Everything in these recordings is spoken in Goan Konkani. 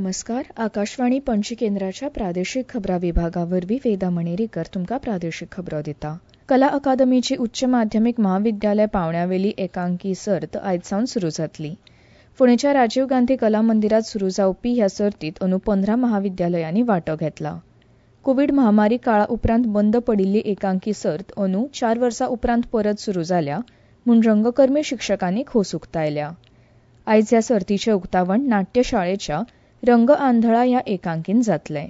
नमस्कार. आकाशवाणी पणजी केंद्राच्या प्रादेशीक खबरां विभागा वरवीं वेदा मणेरीकर तुमकां प्रादेशीक खबरो दिता. कला अकादमीची उच्च माध्यमीक म्हाविद्यालय पांवड्यावेली एकांकी सर्त आयज सावन सुरू जातली. पुणेच्या राजीव गांधी कला मंदिरात सुरू जावपी ह्या सर्तीत अंदू 15 महाविद्यालयांनी वांटो घेतला. कोवीड महामारी काळा उपरांत बंद पडिल्ली एकांकी सर्त अंदू 4 वर्सां उपरांत परत सुरू जाल्या म्हूण रंगकर्मी शिक्षकांनी खोस उक्तायल्या. आयज ह्या सर्तीचें उक्तावण नाट्यशाळेच्या रंग आंधळा ह्या एकांकीन जातलें.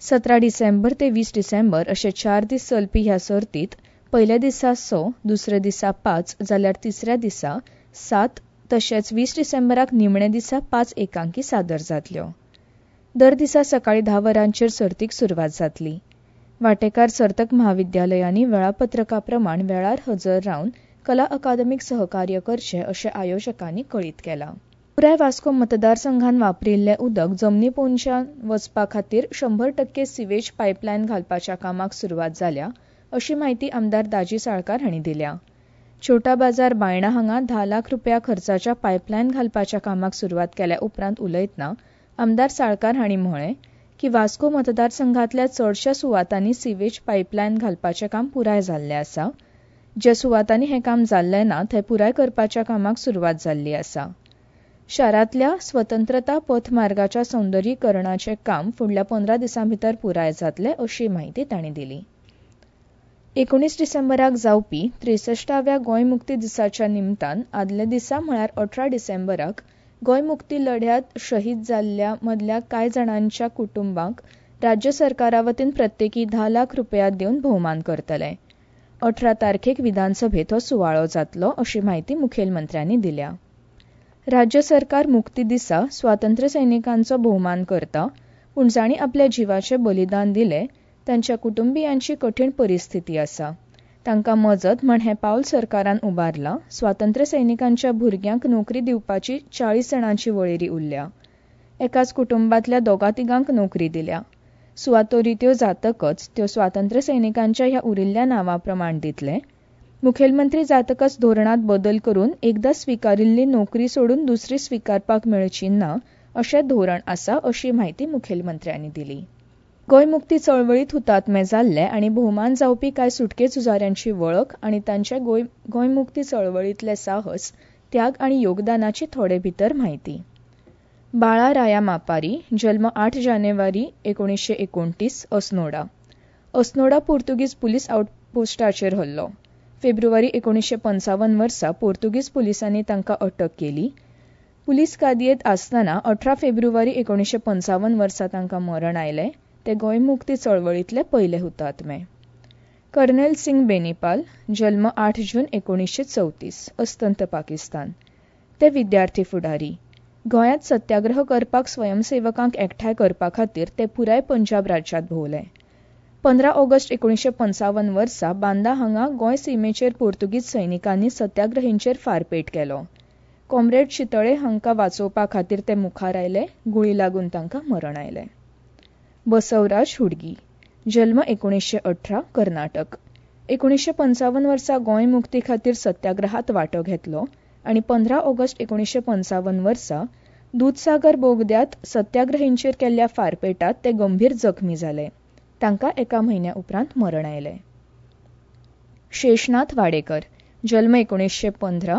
17 डिसेंबर ते 20 डिसेंबर अशे 4 दीस चलपी ह्या सर्तीत पयल्या दिसा 6, दुसऱ्या दिसा 5 जाल्यार तिसऱ्या दिसा 7 तशेंच 20 डिसेंबराक निमण्या दिसा 5 एकांकी सादर जातल्यो. दर दिसा सकाळीं 10 वरांचेर सर्तीक सुरवात जातली. वांटेकार सर्तक म्हाविद्यालयांनी वेळापत्रका प्रमाण वेळार हजर रावन कला अकादमीक सहकार्य करचें अशें आयोजकांनी कळीत केलां. पुराय वास्को मतदारसंघान वापरिल्लें उदक जमनी पोंदच्यान वचपा खातीर 100% सिवेज पायपलायन घालपाच्या कामाक सुरवात जाल्या अशी म्हायती आमदार दाजी साळकार हांणी दिल्या. छोटा बाजार बायणा हांगा 10 लाख रुपया खर्चाच्या पायपलायन घालपाच्या कामाक सुरवात केल्या उपरांत उलयतना आमदार साळकार हांणी म्हळें की वास्को मतदारसंघांतल्या चडश्या सुवातांनी सिवेज पायपलायन घालपाचें काम पुराय जाल्लें आसा. ज्या सुवातांनी हें काम जाल्लें ना थंय पुराय करपाच्या कामाक सुरवात जाल्ली आसा. शारांतल्या स्वतंत्रता पथमार्गाच्या सौंदर्यीकरणाचें काम फुडल्या 15 दिसां भितर पुराय जातलें अशी म्हायती तांणी दिली. 19 डिसेंबराक जावपी 63व्या गोंय मुक्ती दिसाच्या निमतान आदल्या दिसा म्हळ्यार 18 डिसेंबराक गोंय मुक्ती लढ्यांत शहीद जाल्ल्या मदल्या कांय जाणांच्या कुटुंबांक राज्य सरकारा वतीन प्रत्येकी 10 लाख रुपया दिवन भोवमान करतले. 18 तारखेक विधानसभेत हो सुवाळो जातलो अशी म्हायती मुखेलमंत्र्यांनी दिल्या. राज्य सरकार मुक्ती दिसा स्वातंत्र्य सैनिकांचो भोवमान करता, पूण जांणी आपल्या जिवाचें बलिदान दिलें तांच्या कुटुंबियांची कठीण परिस्थिती आसा. तांकां मजत म्हण हें पावल सरकारान उबारलां. स्वातंत्र्य सैनिकांच्या भुरग्यांक नोकरी दिवपाची 40 जाणांची वळेरी उरल्या. एकाच कुटुंबांतल्या 2-3 नोकरी दिल्या. सुवातो रित्यो जातकच त्यो स्वातंत्र्य सैनिकांच्या ह्या उरिल्ल्या नांवा प्रमाण दितले. मुखेलमंत्री जातकच धोरणांत बदल करून एकदां स्विकारिल्ली नोकरी सोडून दुसरी स्विकारपाक मेळची ना अशें धोरण आसा अशी म्हायती मुखेलमंत्र्यांनी दिली. गोंय मुक्ती चळवळींत हुतात्मे जाल्ले आनी भोवमान जावपी कांय सुटके झुजाऱ्यांची वळख आनी तांचे गोंय मुक्ती चळवळींतले साहस, त्याग आनी योगदानाची थोडे भितर म्हायती. बाळा राया मापारी, जल्म 8 जानेवारी 1929, अस्नोडा. अस्नोडा पुर्तुगीज पुलीस आउटपोस्टाचेर हल्लो. फेब्रुवारी 1955 वर्सा पुर्तुगीज पुलिसांनी तांकां अटक केली. पुलीस कादयेंत आसतना 18 फेब्रुवारी 1955 वर्सा तांकां मरण आयलें. ते गोंय मुक्ती चळवळींतले पयले हुतात्मे. कर्नेल सिंग बेनीपाल, जल्म 8 जून 1934, अस्तंत पाकिस्तान. ते विद्यार्थी फुडारी. गोंयांत सत्याग्रह करपाक स्वयंसेवकांक एकठांय करपा खातीर ते पुराय पंजाब राज्यांत भोंवले. 15 ऑगस्ट 1955 वर्सा बांदा हांगा गोंय सीमेचेर पुर्तुगीज सैनिकांनी सत्याग्रहींचेर फारपेट केलो. कॉम्रेड चितळे हांकां वाचोवपा खातीर ते मुखार आयले. गुळी लागून तांकां मरण आयलें. बसवराज हुडगी, जल्म 1918, कर्नाटक. 1955 वर्सा गोंय मुक्ती खातीर सत्याग्रहात वांटो घेतलो आनी 15 ऑगस्ट 1955 वर्सा दुदसागर बोगद्यांत सत्याग्रहींचेर केल्ल्या फारपेटात ते गंभीर जखमी जाले. तांकां 1 म्हयन्या उपरांत मरण आयलें. शेषनाथ वाडेकर, जल्म 1915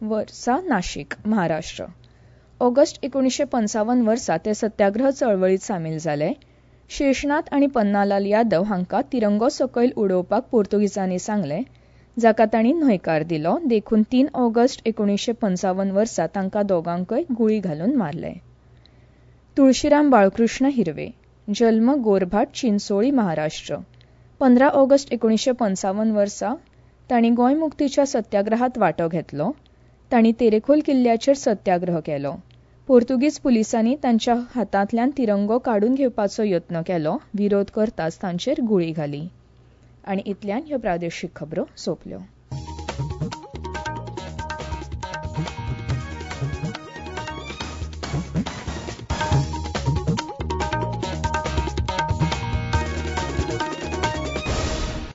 वर्सा, नाशिक, महाराष्ट्र. ऑगस्ट 1955 वर्सा ते सत्याग्रह चळवळींत सामील जाले. शेषनाथ आनी पन्नालाल यादव हांकां तिरंगो सकयल उडोवपाक पुर्तुगीजांनी सांगलें, जाका तांणी न्हयकार दिलो. देखून 3 ऑगस्ट 1955 वर्सा तांकां दोगांकय गुळी घालून मारले. तुळशीराम बाळकृष्ण हिरवे, जल्म गोरभाट, चिंचोळी, महाराष्ट्र. 15 ऑगस्ट 1955 वर्सा तांणी गोंय मुक्तीच्या सत्याग्रहात वांटो घेतलो. तांणी तेरेखोल किल्ल्याचेर सत्याग्रह केलो. पुर्तुगीज पुलिसांनी तांच्या हातांतल्यान तिरंगो काडून घेवपाचो यत्न केलो. विरोध करताच तांचेर गुळी घाली. आनी इतल्यान ह्यो प्रादेशीक खबरो सोंपल्यो.